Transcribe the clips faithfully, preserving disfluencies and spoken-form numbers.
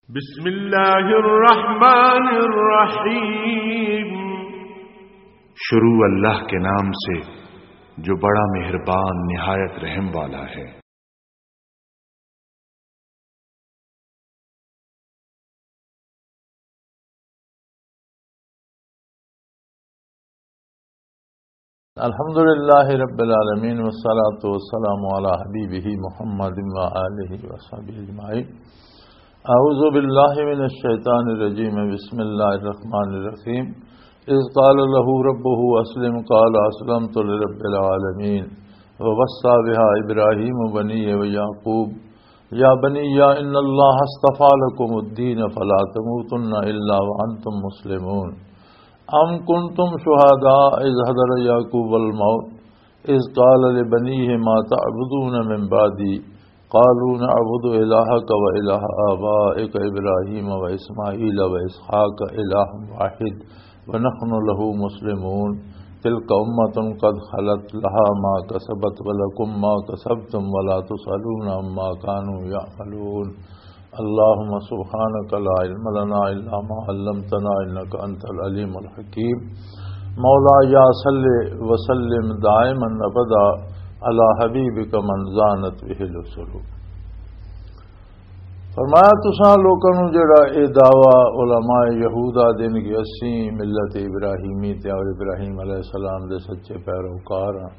بسم اللہ الرحمن الرحیم۔ شروع اللہ کے نام سے جو بڑا مہربان نہایت رحم والا ہے۔ الحمد لله رب العالمين، والصلاة والسلام على حبيبه محمد وآله وصحبه أجمعين. أعوذ بالله من الشيطان الرجيم. بسم الله الرحمن الرحيم. إذ قال له ربه أسلم، قال أسلمت لرب العالمين. ووصى بها إبراهيم بنيه ويعقوب، يا بني إن الله اصطفى لكم الدين فلا تموتن إلا وأنتم مسلمون. أم كنتم شهداء إذ حضر يعقوب الموت إذ قال لبنيه ما تعبدون من بعدي قالوا نعبد إلهك وإله آبائك إبراهيم وإسماعيل وإسحاق إله واحد ونحن له مسلمون. تلك أمة قد خلت لها ما كسبت ولكم ما كسبتم ولا تسألون عما كانوا يعملون. اللهم سبحانك لا علم لنا إلا ما علمتنا إنك أنت العليم الحكيم. مولاي صل وسلم دائما أبدا على حبيبك من زانت به الوصول. فرمایا، تساں لوکاں نوں جڑا اے دعویٰ علماء یہودا دین کہ اسی ملت ابراہیمی تے اور ابراہیم علیہ السلام دے سچے پیروکار ہاں،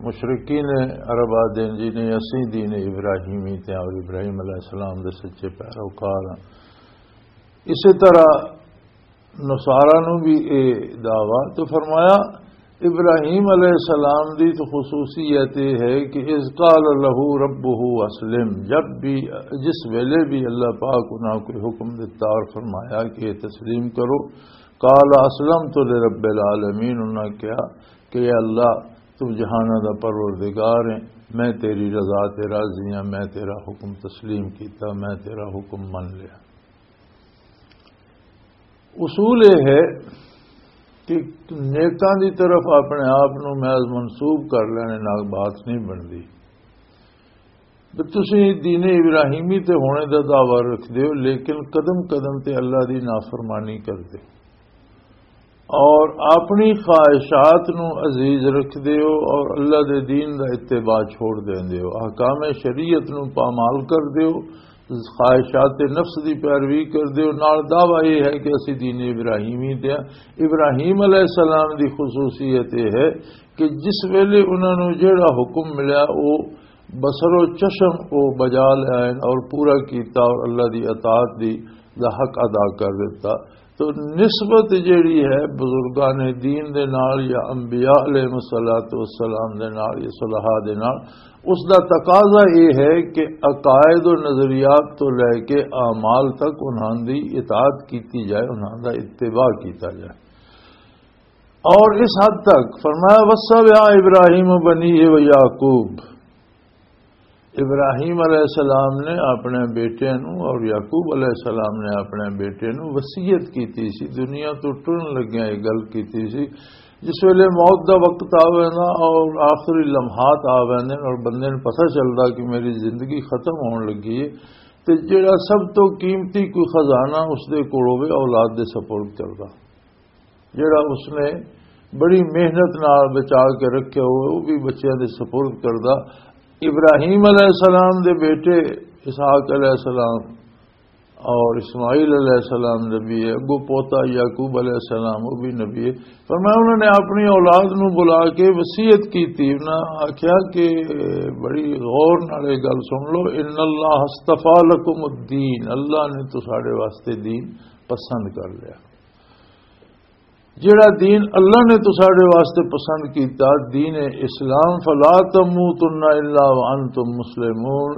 مشرکین عربا دین جی نے اسی دین ابراہیمی تے اور ابراہیم علیہ السلام دے سچے پیروکار ہاں، اسی طرح نصارا نو بھی اے دعویٰ۔ تو فرمایا، ابراہیم علیہ السلام دی تو خصوصیت یہ ہے کہ اذ قال له ربه اسلم، جب بھی، جس ویلے بھی اللہ پاک انہاں کوئی حکم دیتا اور فرمایا کہ یہ تسلیم کرو، قال اسلمت لرب العالمین، انہاں کہا کہ اے اللہ، تو جہاناں دا پروردگار ہے، میں تیری رضا تے راضی ہاں، میں تیرا حکم تسلیم کیتا، میں تیرا حکم من لیا۔ اصول یہ ہے کہ نیکاں دی طرف اپنے آپ نو محض منسوب کر لینے نال بات نہیں بندی۔ بھی تسی دین ابراہیمی تے ہونے دا دعویٰ رکھ دیو، لیکن قدم قدم تے اللہ دی نافرمانی کر دے اور اپنی خواہشات نو عزیز رکھ دیو اور اللہ دے دین دا اتباع چھوڑ دین دیو، احکام شریعت نو پامال کر دیو، خواہشات نفس دی پیروی کر دیو۔ نال دعویٰ یہ ہے کہ اسی دین ابراہیمی تے ہاں۔ ابراہیم علیہ السلام دی خصوصیت یہ ہے کہ جس ویلے انہاں نو جیڑا حکم ملیا، او بصر و چشم او بجا لے آئے اور پورا کیتا اور اللہ دی اطاعت دی، دا حق ادا کر دیتا۔ تو نسبت جیڑی ہے بزرگان دین دے نال یا انبیاء علیہ الصلوۃ والسلام دے نال یا صلحاء دے نال، اس دا تقاضا یہ ہے کہ عقائد و نظریات تو لے کے اعمال تک انہاں دی اطاعت کیتی جائے، انہاں دا اتباع کیتا جائے۔ اور اس حد تک فرمایا، وصى بها ابراہیم بنيه ويعقوب، ابراہیم علیہ السلام نے اپنے بیٹے نو اور یعقوب علیہ السلام نے اپنے بیٹے نو وصیت کیتی سی، دنیا تو ٹرن لگیا یہ گل کیتی سی۔ جس ویلے موت دا وقت آ ویندا اور آخری لمحات آ ویندے نے اور بندے نوں پتہ چلدا کہ میری زندگی ختم ہون لگی ہے، تے جڑا سب تو قیمتی کوئی خزانہ اس دے کول ہوے، اولاد دے سپرد کردا۔ جڑا اس نے بڑی محنت نال بچا کے رکھے ہوئے، وہ بھی بچیاں دے سپرد کردا۔ ابراہیم علیہ السلام دے بیٹے اسحاق علیہ السلام اور اسماعیل علیہ السلام نبی ہے، اگو پوتا یعقوب علیہ السلام، وہ بھی نبی ہے۔ فرمایا، انہوں نے اپنی اولاد نو بلا کے وصیت کی تھی، انہاں آکھیا کہ بڑی غور نال یہ گل سن لو، ان اللہ اصطفی لکم الدین، اللہ نے تو ساڈے واسطے دین پسند کر لیا۔ جڑا دین اللہ نے تساڈے واسطے پسند کیتا، دین اسلام، فلا تموتن الا وانتم مسلمون،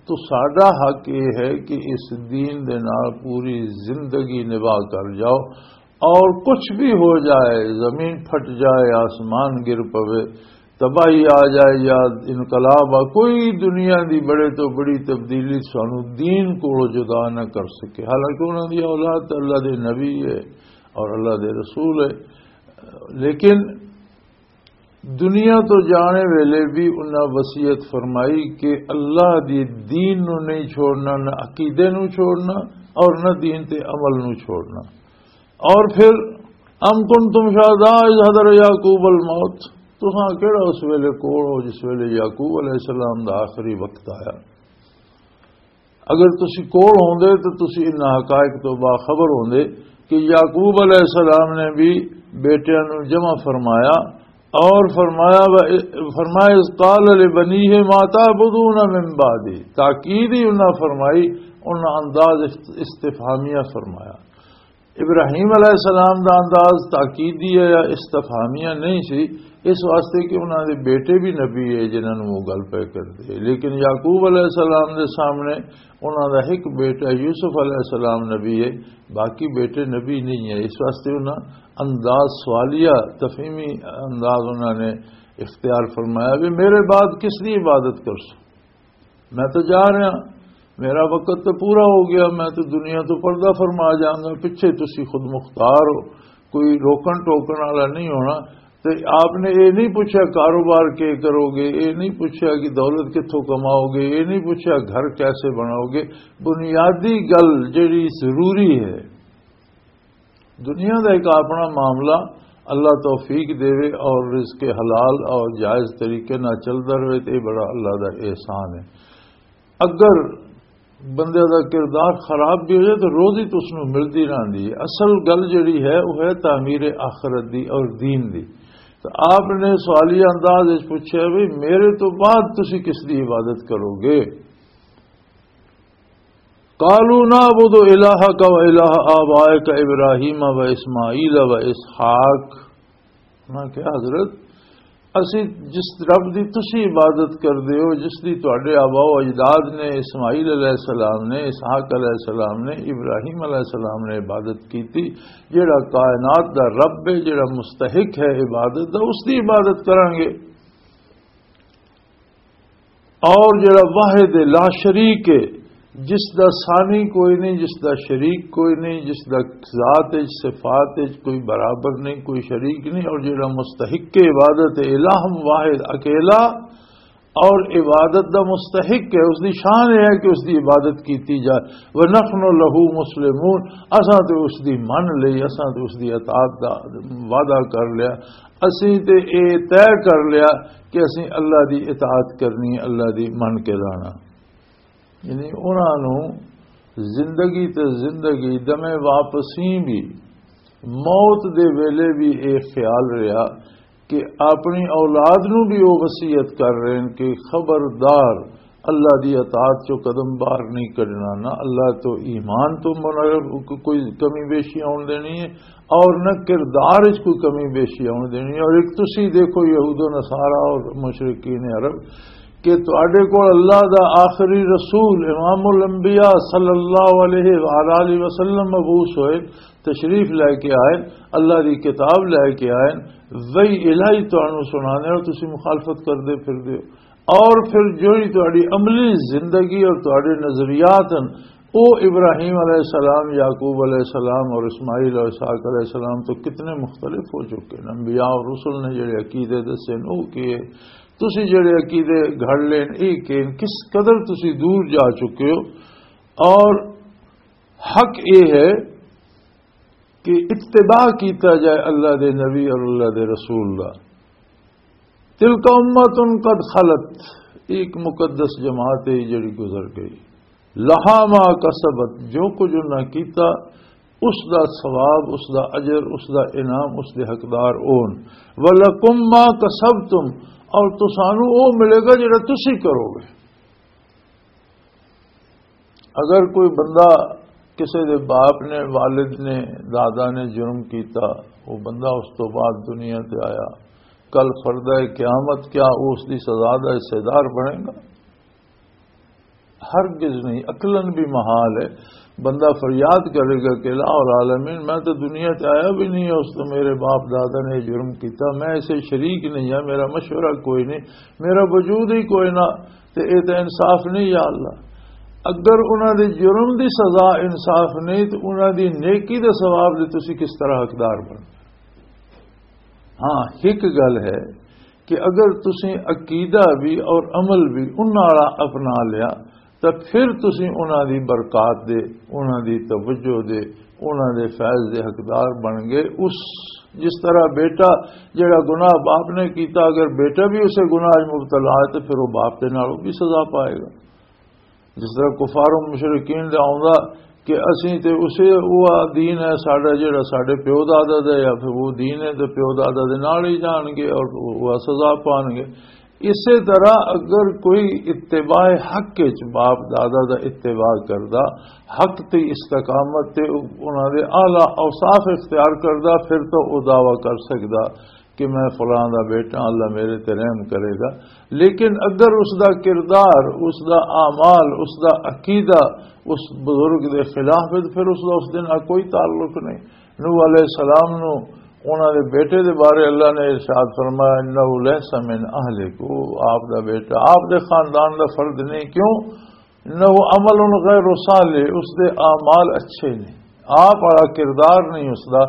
تساڈا حق یہ ہے کہ اس دین دے نال پوری زندگی نباہ کر جاؤ، اور کچھ بھی ہو جائے، زمین پھٹ جائے، آسمان گر پوے، تباہی آ جائے یا انقلاب آ، کوئی دنیا دی بڑے تو بڑی تبدیلی سانو دین کو جدا نہ کر سکے۔ حالانکہ انہاں دی اولاد تے اللہ دے نبی ہے اور اللہ دے رسول ہے، لیکن دنیا تو جانے ویلے بھی انہاں وصیت فرمائی کہ اللہ دی دین نو نہیں چھوڑنا، نہ عقیدے نو چھوڑنا، اور نہ دین تے عمل نو چھوڑنا۔ اور پھر، "ام کنتم شہداء اذ حضر یعقوب الموت"، تساں کیڑا اس ویلے کول ہو جس ویلے یعقوب علیہ السلام دا آخری وقت آیا؟ اگر تسی کول ہوندے تو تسی انہاں حقائق تو باخبر ہوندے کہ یعقوب علیہ السلام نے بھی بیٹیاں نو جمع فرمایا اور فرمایا، فرمایا، "اذ قال لبنیہ ما تعبدون من بعدی"، تاکید ہی انہاں فرمائی، انہاں انداز است-، استفہامیہ فرمایا۔ ابراہیم علیہ السلام دا انداز تاکیدی ہے یا استفہامیہ نہیں سی، اس واسطے کہ انہاں دے بیٹے بھی نبی ہے جنہاں نوں وہ گل پہ کردے۔ لیکن یعقوب علیہ السلام دے سامنے انہاں دا ایک بیٹا یوسف علیہ السلام نبی ہے، باقی بیٹے نبی نہیں ہے۔ اس واسطے انہاں انداز سوالیہ، تفہیمی انداز انہاں نے اختیار فرمایا بھی، "میرے بعد کس دی عبادت کرسو؟ میں تو جا رہا، میرا وقت تو پورا ہو گیا، میں تو دنیا تو پردہ فرما جاؤں گا، پچھے تسی خود مختار ہو، کوئی روکن ٹوکن والا نہیں ہونا۔" تے آپ نے یہ نہیں پوچھا کاروبار کے کرو گے، یہ نہیں پوچھا کہ دولت کتھوں کماؤ گے، یہ نہیں پوچھا گھر کیسے بناؤ گے۔ بنیادی گل جڑی ضروری ہے، دنیا دا ایک اپنا معاملہ، اللہ توفیق دے اور رزق حلال اور جائز طریقے نہ چلدا رہے تے یہ بڑا اللہ دا احسان ہے۔ اگر بندے دا کردار خراب بھی ہو جائے تو روزی تو اس نوں ملدی رہندی ہے۔ اصل گل جڑی ہے وہ ہے تعمیر آخرت دی اور دین دی۔ تو آپ نے سوالیہ انداز وچ پوچھا بھی، "میرے تو بعد تسی کس دی عبادت کرو گے؟" قالوا نعبد الہک و الہ آبائک ابراہیم و اسماعیل و اسحاق۔ انہاں کہا، "حضرت، اسی جس رب دی تسی عبادت کردے ہو، جس دی تواڈے آبا و اجداد نے، اسماعیل علیہ السلام نے، اسحاق علیہ السلام نے، ابراہیم علیہ السلام نے عبادت کیتی، جیڑا کائنات دا رب ہے، جیڑا مستحق ہے عبادت دا، اس دی عبادت کرانگے۔" اور جڑا واحد لا شریک ہے، جس دا ثانی کوئی نہیں، جس دا شریک کوئی نہیں، جس دا ذات وچ، صفات وچ کوئی برابر نہیں، کوئی شریک نہیں، اور جڑا مستحق عبادت ہے، الہ واحد اکیلا اور عبادت دا مستحق ہے، اس دی شان ہے کہ اس دی عبادت کیتی جائے۔ وَنَحْنُ لَهُ مُسْلِمُونَ، اساں تے اس دی من لئی، اساں تے اس دی اطاعت دا وعدہ کر لیا، اسیں تے اے طے کر لیا کہ اسیں اللہ دی اطاعت کرنی ہے، اللہ دی من کے رہنا۔ یعنی انہاں نوں زندگی تے زندگی، دمے واپسی بھی، موت دے ویلے بھی اے خیال رہیا کہ اپنی اولاد نوں بھی او وصیت کر رہے ہیں کہ خبردار، اللہ دی اطاعت چوں قدم باہر نہیں کڈنا، نہ اللہ تو ایمان تو منحرف کوئی کمی بیشی آن دینی ہے، اور نہ کردار وچ کوئی کمی بیشی آن دینی ہے۔ اور ایک تسی دیکھو، یہود و نصارہ اور مشرکین عرب، کہ تواڈے کول اللہ دا آخری رسول امام الانبیاء صلی اللہ علیہ وآلہ وسلم مبعوث ہوئے، تشریف لے کے آئے، اللہ دی کتاب لے کے آئے، وحی الہی تانوں سنانے اور تسی مخالفت کردے پھردے ہو۔ اور پھر جوڑی تہاڈی عملی زندگی اور تہاڈے نظریات ہیں، او ابراہیم علیہ السلام، یعقوب علیہ السلام اور اسماعیل اور اسحاق علیہ السلام تو کتنے مختلف ہو چکے ہیں۔ انبیاء اور رسل نے جڑے عقیدے دسے ہیں، او کیے؟ تسی جڑے عقیدے گھڑ لین، اے کین؟ کس قدر تسی دور جا چکے ہو؟ اور حق اے ہے کہ اتباع کیتا جائے اللہ دے نبی اور اللہ دے رسول دا۔ تلک امۃ قد خلت، ایک مقدس جماعت ہے جڑی گزر گئی۔ لہا ما کسبت، جو کچھ انہاں کیتا، اس دا ثواب، اس دا اجر، اس دا انعام، اس دے حقدار اون۔ ولکم ما کسبتم، اور تسانو او ملے گا جڑا تسی کرو گے۔ اگر کوئی بندہ، کسے دے باپ نے، والد نے، دادا نے جرم کیتا، وہ بندہ اس تو بعد دنیا تے آیا، کل فردہ قیامت کیا وہ اس دی سزا دا حصے دار بنے گا؟ ہرگز نہیں۔ عقلاً بھی محال ہے۔ بندہ فریاد کرے گا کہ الہ العالمین، میں تو دنیا تے آیا بھی نہیں، اس تو میرے باپ دادا نے جرم کیتا، میں اسے شریک نہیں ہاں، میرا مشورہ کوئی نہیں، میرا وجود ہی کوئی نہ، تے اے تے انصاف نہیں یا اللہ۔ اگر انہاں دے جرم دی سزا انصاف نہیں، تے انہاں دی نیکی دے ثواب دے تسی کس طرح حقدار بن؟ ہاں، ایک گل ہے کہ اگر تسی عقیدہ بھی اور عمل بھی انہاں والا اپنا لیا، تو پھر تسی انہاں دی برکات دے، انہاں دی توجہ دے، انہاں دے فیض دے حقدار بن گئے۔ اس جس طرح بیٹا جڑا گناہ باپ نے کیتا، اگر بیٹا بھی اسے گناہ وچ مبتلا ہے تو پھر وہ باپ دے نال وہ بھی سزا پائے گا۔ جس طرح کفار و مشرکین دا آوندا کہ اسی تے اسے، وہ دین ہے ساڈا جڑا ساڈے پیو دادا دا، یا پھر وہ دین ہے تے پیو دادا دے نال ہی جان گے اور وہ سزا پان گے۔ اسی طرح اگر کوئی اتباع حق وچ باپ دادا دا اتباع کردا، حق تے استقامت تے انہاں دے اعلیٰ اوصاف اختیار کردا، پھر تو وہ دعویٰ کر سکدا کہ میں فلاں دا بیٹا، اللہ میرے تے رحم کرے گا۔ لیکن اگر اس دا کردار، اس دا اعمال، اس دا عقیدہ اس بزرگ دے خلاف ہے، تو پھر اس دا اس دے نال کوئی تعلق نہیں۔ نوح علیہ السلام نو انہاں دے بیٹے دے بارے اللہ نے ارشاد فرمایا، "انہ لیس من اہلک"، وہ آپ دا بیٹا، آپ دے خاندان دا فرد نہیں۔ کیوں؟ "انہ عمل غیر صالح"، اس دے اعمال اچھے نہیں، آپ والا کردار نہیں اس دا،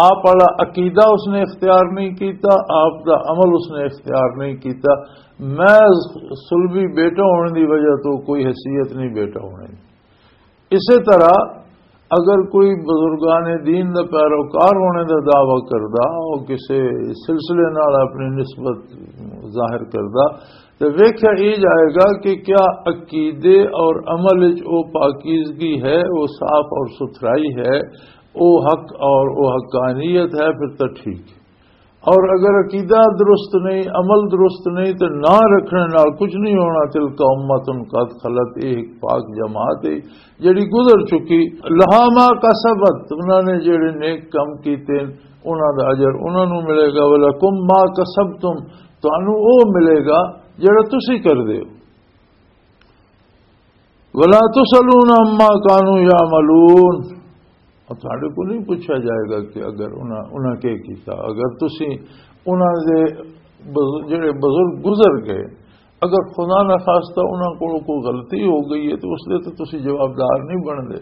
آپ والا عقیدہ اس نے اختیار نہیں کیتا، آپ دا عمل اس نے اختیار نہیں کیتا۔ میں صلبی بیٹا ہونے دی وجہ تو کوئی حیثیت نہیں بیٹا ہونے دی۔ اسی طرح اگر کوئی بزرگان دین دا پیروکار ہونے دا دعویٰ کردا، وہ کسی سلسلے نال اپنی نسبت ظاہر کردا، تے ویکھیا یہ جائے گا کہ کیا عقیدے اور عمل وچ وہ پاکیزگی ہے، وہ صاف اور ستھرائی ہے، وہ حق اور وہ حقانیت ہے، پھر تو ٹھیک ہے۔ اور اگر عقیدہ درست نہیں، عمل درست نہیں، تو نہ رکھنے نال کچھ نہیں ہونا۔ تلک امۃ قد خلت، یہ ایک پاک جماعت ہے جڑی گزر چکی۔ لہا ما کسبت، انہاں نے جڑے نیک کم کیتے، انہاں دا اجر انہاں نوں ملے گا۔ ولکم ما کسبتم، تانوں او ملے گا جڑا تسی کردے ہو۔ ولا تسألون عما كانوا يعملون، اور تھوڑے کو نہیں پوچھا جائے گا کہ اگر انہاں، انہاں کے کیتا، اگر تسی انہاں دے بز-، جڑے بزرگ گزر گئے، اگر خدا نہ خواستہ انہاں کو کوئی غلطی ہو گئی ہے تو اس دے تو تسی جوابدار نہیں بن دے۔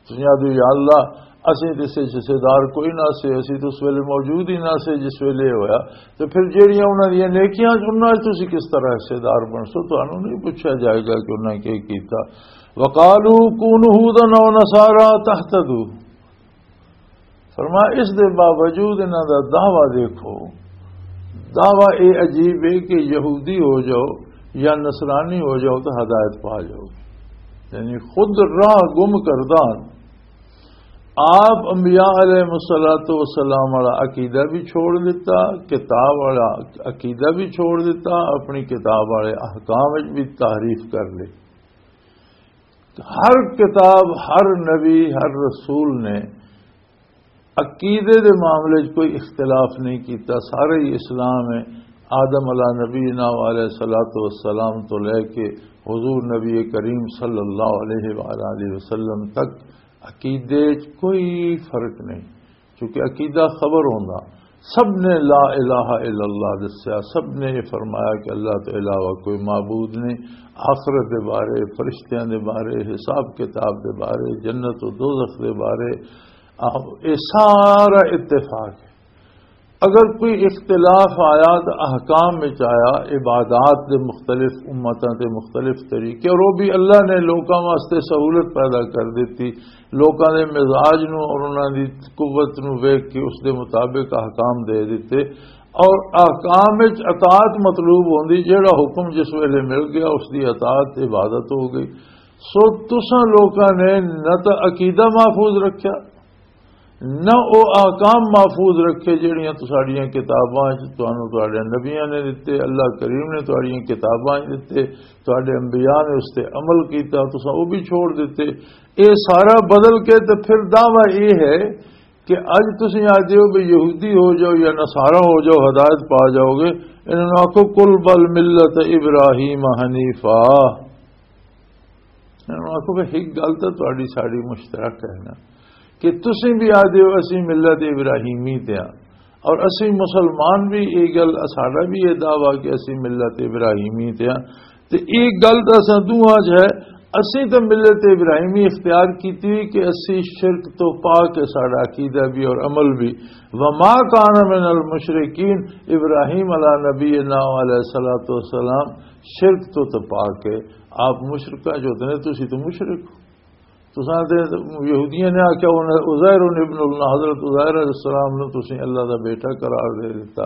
تسی آدھے، "یا اللہ، اسیں تے اس وچ حصے دار کوئی نہ سے، اسی تو اس ویلے موجود ہی نہ سے جس ویلے ہویا۔" تے پھر جیڑیاں انہاں دیاں نیکیاں، انہاں وچ تسی کس طرح حصے دار بن سو؟ تانوں نہیں پوچھا جائے گا کہ انہاں کی کیتا۔ "وقالوا كونوا هودا أو نصارى تهتدوا۔" فرمایا، اس دے باوجود انہاں دا دعویٰ دیکھو، دعویٰ اے عجیب ہے کہ یہودی ہو جاؤ یا نصرانی ہو جاؤ تو ہدایت پا جاؤ گے۔ یعنی خود راہ گم کردان۔ آپ انبیاء علیہ الصلوۃ والسلام والا عقیدہ بھی چھوڑ دیتا، کتاب والا عقیدہ بھی چھوڑ دیتا، اپنی کتاب والے احکام وچ بھی تحریف کر لی۔ ہر کتاب، ہر نبی، ہر رسول نے عقیدے دے معاملے 'چ کوئی اختلاف نہیں کیتا۔ سارے ہی اسلام ہے، آدم علیہ نبینا و علیہ الصلوۃ والسلام تو لے کے حضور نبی کریم صلی اللہ علیہ وآلہ وسلم تک عقیدے 'چ کوئی فرق نہیں، کیونکہ عقیدہ خبر ہوندا۔ سب نے لا الہ الا اللہ دسیا، سب نے یہ فرمایا کہ اللہ تو علاوہ کوئی معبود نہیں، آخرت دے بارے، فرشتیاں دے بارے، حساب کتاب دے بارے، جنت و دوزخ دے بارے، آ، یہ سارا اتفاق ہے۔ اگر کوئی اختلاف آیا تو احکام وچ آیا، عبادات دے مختلف امتاں تے مختلف طریقے، اور وہ بھی اللہ نے لوکاں واسطے سہولت پیدا کر دیتی، لوکاں دے مزاج نو اور انہاں دی قوت نو ویکھ کے اس دے مطابق احکام دے دیتے۔ اور احکام وچ اطاعت مطلوب ہوندی، جیڑا حکم جس ویلے مل گیا اس دی اطاعت عبادت ہو گئی۔ سو تساں لوکاں نے نہ تو عقیدہ محفوظ رکھیا، نہ او احکام محفوظ رکھے جڑیاں تساڈیاں کتاباں وچ تانوں تہاڈے نبیاں نے دتے، اللہ کریم نے تہاڈیاں کتاباں وچ دتے، تہاڈے انبیاء نے اس تے عمل کیتا، تساں او بھی چھوڑ دتے۔ اے سارا بدل کے تے پھر دعویٰ اے ہے کہ اج تسیں آ دیو بھی یہودی ہو جاؤ یا نصارا ہو جاؤ، ہدایت پا جاؤ گے۔ انہاں نوں آکھو، "قل بل ملت ابراہیم حنیفا۔" انہاں نوں آکھو کہ ایک گل تو تہاڈی ساڈی مشترک ہے نا، کہ تسیں بھی آ دیو اسی ملت ابراہیمی تے ہاں، اور اسی مسلمان بھی، یہ گل، ساڈا بھی یہ دعویٰ کہ اسی ملت ابراہیمی تے ہاں۔ تے یہ گل تو اساں دوہاں چ ہے، اسی تو ملت ابراہیمی اختیار کیتی ہوئی کہ اسی شرک تو پاک ہے، ساڈا عقیدہ بھی اور عمل بھی۔ وما کان من المشرکین، ابراہیم علیہ نبینا علیہ الصلوۃ والسلام شرک تو تو پاک ہے، آپ مشرکاں چ ہوتے نے، تسی تو مشرک ہو۔ تساں تے یہودیاں نے آکھیا، انہاں عزیر ابن اللہ، حضرت عزیر علیہ السلام نو تسی اللہ دا بیٹا قرار دے دتا۔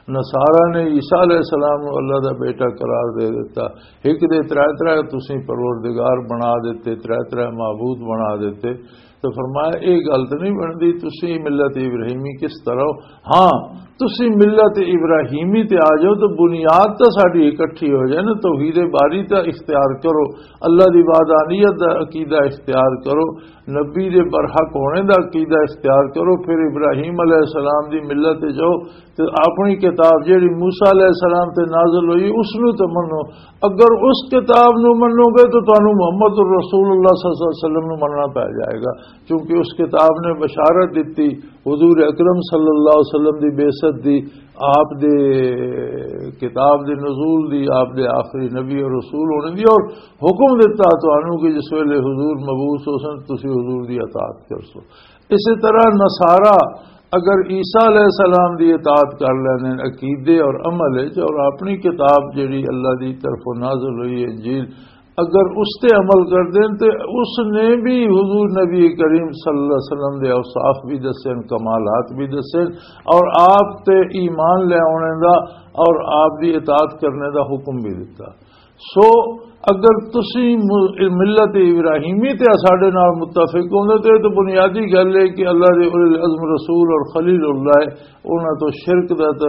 نصارا نے عیسیٰ علیہ السلام نو اللہ دا بیٹا قرار دے دتا۔ ایک دے ترے ترے تسی پروردگار بنا دیتے، ترے ترے معبود بنا دیتے۔ تو فرمایا، یہ گل تو نہیں بنتی، تسی ملت ابراہیمی کس طرح ہو؟ ہاں، تسی ملت ابراہیمی تے آ جاؤ تو بنیاد تو ساری اکٹھی ہو جائے نا، توحید باری تو اختیار کرو، اللہ دی وحدانیت دا عقیدہ اختیار کرو، نبی دے برحق ہونے دا عقیدہ اختیار کرو، پھر ابراہیم علیہ السلام دی ملت تے جاؤ، تے اپنی کتاب جیڑی موسیٰ علیہ السلام تے نازل ہوئی، اس نو تے منو۔ اگر اس کتاب نو منو گے تو تانوں محمد الرسول اللہ صلی اللہ علیہ وسلم نو مننا پے جائے گا، کیونکہ اس کتاب نے بشارت دتی حضور اکرم صلی اللہ علیہ وسلم دی بعثت دی، آپ دے کتاب دے نزول دی، آپ دے آخری نبی اور رسول ہونے دی، اور حکم دتا تانوں کہ جس ویلے حضور مبعوث ہو سن، تسی حضور دی اطاعت کر سو۔ اسی طرح نصارا اگر عیسیٰ علیہ السلام دی اطاعت کر لیندے نے عقیدے اور عمل وچ، اور اپنی کتاب جڑی اللہ دی طرفوں نازل ہوئی ہے، انجیل، اگر اس تے عمل کر دین تے اس نے بھی حضور نبی کریم صلی اللہ علیہ وسلم دے اوصاف بھی دسن، کمالات بھی دسن، اور آپ تے ایمان لے آنے دا اور آپ دی اطاعت کرنے دا حکم بھی دتا۔ سو اگر تسی م-، ملت ابراہیمی تے ساڈے نال متفق ہوندے تے، تے بنیادی گل ہے کہ اللہ دے اولي العزم رسول اور خلیل اللہ ہے، انہاں تو شرک دا تے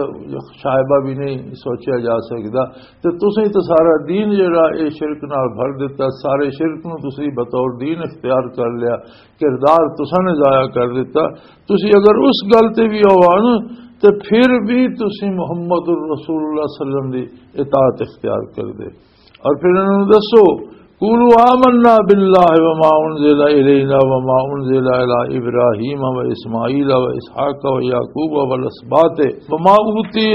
شائبہ بھی نہیں سوچیا جا سکدا۔ تے تسی تے سارا دین جڑا اے شرک نال بھر دتا، سارے شرک نو تسی بطور دین اختیار کر لیا، کردار تساں نے ضائع کر دتا۔ تسی اگر اس گل تے بھی آؤ نا، تے پھر بھی تسی محمد الرسول اللہ صلی اللہ علیہ وسلم دی اطاعت اختیار کر دے۔ اور پھر انہوں نے دسو، "قولوا آمنا باللہ وما انزل الینا وما انزل الی ابراہیم و اسماعیل و اسحاق و یعقوب والاسباط وما اوتی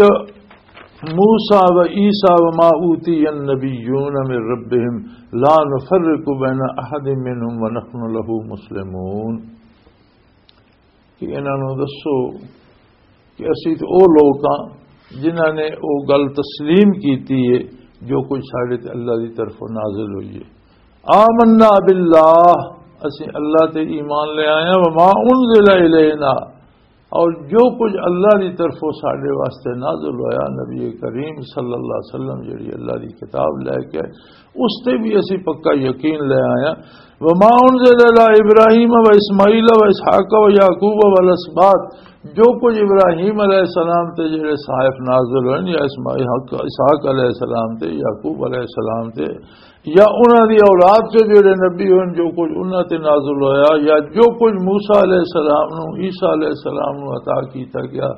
موسیٰ و عیسیٰ وما اوتی النبیون من ربہم لا نفرق بین احد منہم ونحن لہ مسلمون۔" کہ انہاں نوں دسو کہ اسی تے او لوک ہاں جنہاں نے او گل تسلیم کیتی ہے جو کچھ ساڈے تے اللہ دی طرفوں نازل ہوئی ہے۔ آمنا باللہ، اسی اللہ تے ایمان لے آئے ہیں، وما انزل الینا، اور جو کچھ اللہ دی طرفوں ساڈے واسطے نازل ہویا، نبی کریم صلی اللہ علیہ وسلم جڑی اللہ دی کتاب لے کے آئے، اس تے بھی اسی پکا یقین لے آیا۔ وما انزل الی ابراہیم و اسماعیل و اسحاق و یعقوب و الاسباط، جو کچھ ابراہیم علیہ السلام تے جڑے صحائف نازل ہوئے یا اسماعیل، اسحاق علیہ السلام تے، یعقوب علیہ السلام تے، یا انہاں دی اولاد تے جڑے نبی ہوئے، جو کچھ انہاں تے نازل ہویا، یا جو کچھ موسیٰ علیہ السلام نو، عیسیٰ علیہ السلام نو عطا کیتا گیا،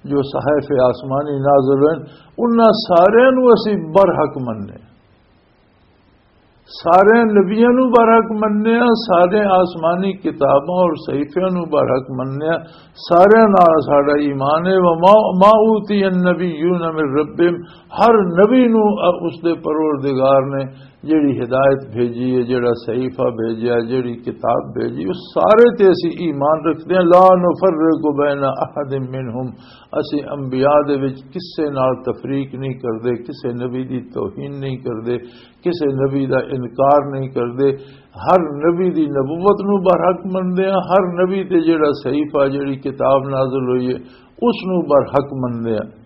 جو صحائف آسمانی نازل ہوئے، انہاں سارے نو اسی برحق مننے۔ سارے نبیاں نو برحق مننے آ، سارے آسمانی کتاباں اور صحیفیاں نو برحق مننے آ، سارے نال ساڈا ایمان ہے۔ وما، ما اوتی النبیون من ربہم، ہر نبی نو اس دے پروردگار نے جیڑی ہدایت بھیجی ہے، جیڑا صحیفہ بھیجیا، جیڑی کتاب بھیجی، اس سارے تے اسی ایمان رکھدے ہیں۔ لا نفرق بین احد منہم، اسی انبیاء دے وچ کسے نال تفریق نہیں کردے، کسے نبی دی توہین نہیں کردے، کسے نبی دا انکار نہیں کردے۔ ہر نبی دی نبوت نو برحق منندے ہاں، ہر نبی تے جڑا صحیفہ، جڑی کتاب نازل ہوئی ہے، اس نو برحق منندے ہاں۔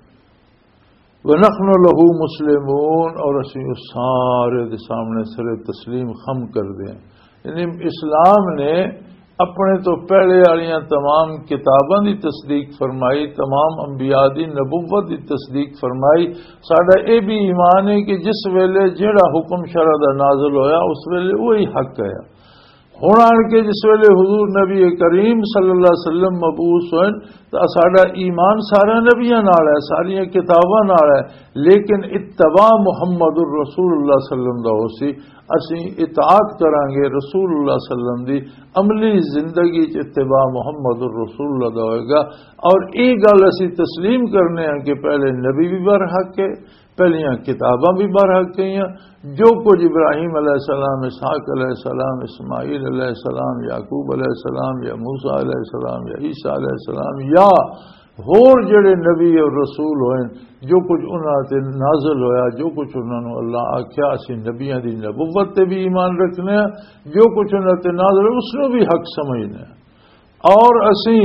وَنَحْنُ لَهُ مُسْلِمُونَ، اور اسی اس سارے دے سامنے سر تسلیم خم کردے ہیں۔ یعنی اسلام نے اپنے تو پہلے والیاں تمام کتاباں دی تصدیق فرمائی، تمام انبیاء دی نبوت دی تصدیق فرمائی۔ ساڈا اے بھی ایمان ہے کہ جس ویلے جیڑا حکم شرع دا نازل ہویا، اس ویلے وہی حق ہے۔ ہن آن کے جس ویلے حضور نبی کریم صلی اللہ علیہ وسلم مبعوث ہوئے، تو ساڈا ایمان سارے نبیاں نال ہے، ساریاں کتاباں نال ہے، لیکن اتباع محمد الرسول اللہ صلی اللہ علیہ وسلم دا ہو سی۔ اسی اطاعت کرانگے رسول اللہ صلی اللہ علیہ وسلم دی، عملی زندگی چ اتباع محمد الرسول اللہ دا ہوئے گا۔ اور یہ گل اسی تسلیم کرنے ہیں کہ پہلے نبی بھی برحق ہے، پہلیاں کتاباں بھی برحق ہیں۔ جو کچھ ابراہیم علیہ السلام، اسحاق علیہ السلام، اسماعیل علیہ السلام، یعقوب علیہ السلام یا موسیٰ علیہ السلام یا عیسیٰ علیہ السلام یا ہور جڑے نبی اور رسول ہوئے، جو کچھ انہاں تے نازل ہویا، جو کچھ انہاں نوں اللہ آکھیا، اسی نبیاں دی نبوت تے بھی ایمان رکھنے ہاں، جو کچھ انہاں تے نازل ہویا، اس نوں بھی حق سمجھنے ہاں۔ اور اسی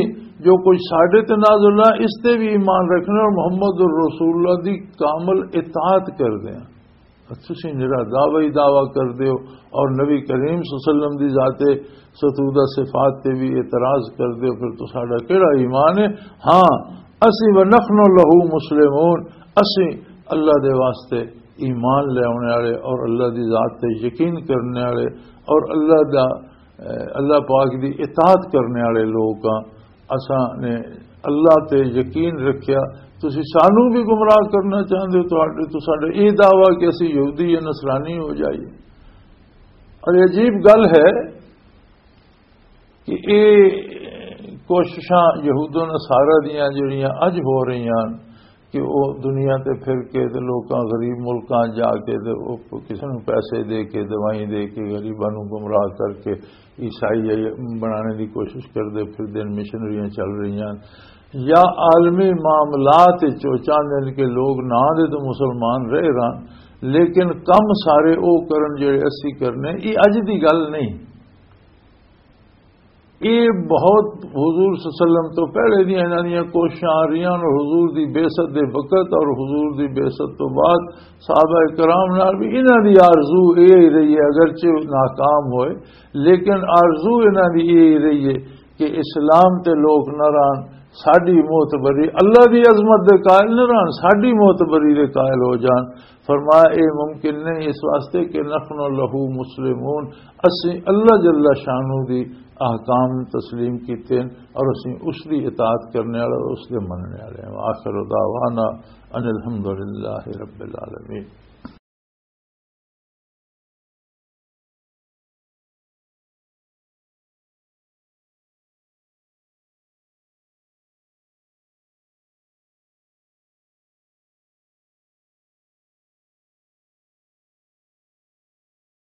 جو کچھ ساڈے تے نازل ہویا، اس تے بھی ایمان رکھنے اور محمد رسول اللہ دی کامل اطاعت کردے ہاں۔ تسی نرا دعوی دعویٰ کر دیو اور نبی کریم صلی اللہ علیہ وسلم دی ذات ستودہ صفات تے بھی اعتراض کر دیو، پھر تو ساڈا کیڑا ایمان ہے؟ ہاں، اسی ونحن لہ مسلمون، اسی اللہ دے واسطے ایمان لے آنے والے اور اللہ دی ذات تے یقین کرنے والے اور اللہ دا، اللہ پاک دی اطاعت کرنے والے لوگ ہاں۔ اساں نے اللہ تے یقین رکھیا، تسی سانو بھی گمراہ کرنا چاہندے ہو؟ تہاڈے تو ساڈا یہ دعویٰ کہ اسی یہودی یا نصرانی ہو جائیے؟ اور یہ عجیب گل ہے کہ یہ کوششاں یہود و نصارہ دیاں جڑیاں اج ہو رہی ہیں کہ وہ دنیا تے پھر کے تے لوکاں، غریب ملکاں جا کے تے وہ کسی نوں پیسے دے کے، دوائیں دے کے، غریباں نوں گمراہ کر کے عیسائی بنانے دی کوشش کردے پھر دن، مشنریاں چل رہی ہیں، یا عالمی معاملات وچ وہ چاہندے نے کہ لوگ نہ دے تو مسلمان رہ رہن، لیکن کم سارے او کرن جڑے اسی کرنے۔ یہ اج دی گل نہیں، یہ بہت حضور صلی اللہ علیہ وسلم تو پہلے دی انہاں دیاں کوششاں آ رہیاں، اور حضور دی بعثت دے وقت اور حضور دی بعثت تو بعد صحابہ کرام نال بھی انہاں دی آرزو یہ ہی رہی ہے، اگرچہ ناکام ہوئے، لیکن آرزو انہاں دی یہ ہی رہی ہے کہ اسلام تے لوگ نہ رہن، ساڈی معتبری، اللہ دی عظمت دے قائل نہ رہن، ساڈی معتبری دے قائل ہو جان۔ فرمایا، اے ممکن نہیں، اس واسطے کہ نحن لہ مسلمون، اسی اللہ جل شانہ دی احکام تسلیم کیتے ہیں اور اسی اس دی اطاعت کرنے والے اور اس دے مننے والے ہیں۔ وآخر دعوانا ان الحمد للہ رب العالمین۔